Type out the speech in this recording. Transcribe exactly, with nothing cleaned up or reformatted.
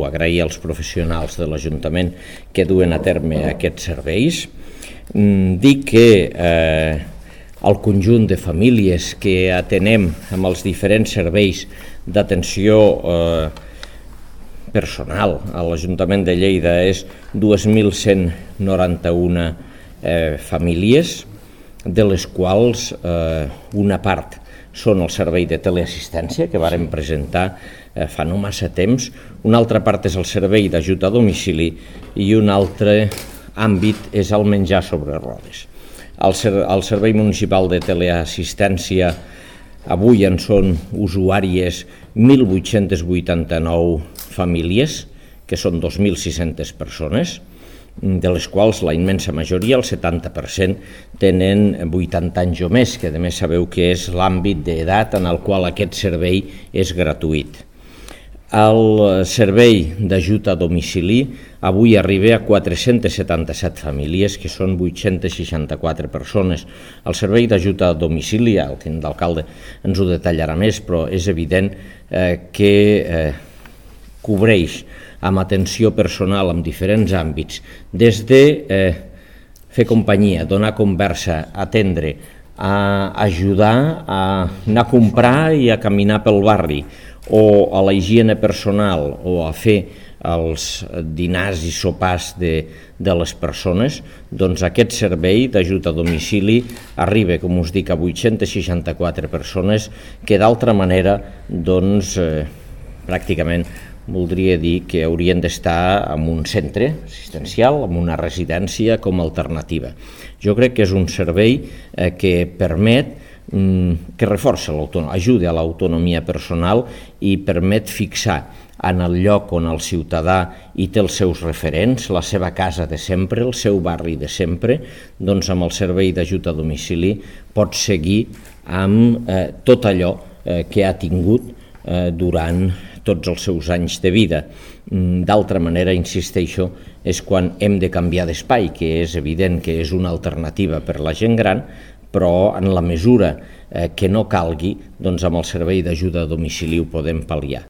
agrair als professionals de l'Ajuntament que duen a terme aquests serveis. Dic que eh, el conjunt de famílies que atenem amb els diferents serveis d'atenció eh, personal a l'Ajuntament de Lleida és dos mil cent noranta-u eh, famílies, de les quals eh, una part són el servei de teleassistència que vàrem presentar eh, fa no massa temps, una altra part és el servei d'ajut a domicili i un altre àmbit és el menjar sobre rodes. El, ser, el Servei Municipal de Teleassistència avui en són usuàries mil vuit-cents vuitanta-nou famílies, que són dos mil sis-centes persones, de les quals la immensa majoria, el setanta per cent, tenen vuitanta anys o més, que a més sabeu que és l'àmbit d'edat en el qual aquest servei és gratuït. El servei d'ajut a domicili avui arriba a quatre-cents setanta-set famílies, que són vuit-cents seixanta-quatre persones. El servei d'ajut a domicili, el tinent d'alcalde ens ho detallarà més, però és evident eh, que eh, cobreix amb atenció personal en diferents àmbits, des de eh, fer companyia, donar conversa, atendre, a ajudar a anar a comprar i a caminar pel barri, o a la higiene personal, o a fer els dinars i sopars de, de les persones, doncs aquest servei d'ajut a domicili arriba, com us dic, a vuit-cents seixanta-quatre persones que d'altra manera, doncs, eh, pràcticament voldria dir que haurien d'estar en un centre assistencial, en una residència com a alternativa. Jo crec que és un servei eh, que permet, mm, que reforça l'autonomia, ajuda a l'autonomia personal i permet fixar en el lloc on el ciutadà hi té els seus referents, la seva casa de sempre, el seu barri de sempre, doncs amb el servei d'ajut a domicili pot seguir amb eh, tot allò eh, que ha tingut eh, durant tots els seus anys de vida. D'altra manera, insisteixo, és quan hem de canviar d'espai, que és evident que és una alternativa per la gent gran, però en la mesura eh, que no calgui, doncs amb el servei d'ajuda a domicili ho podem pal·liar.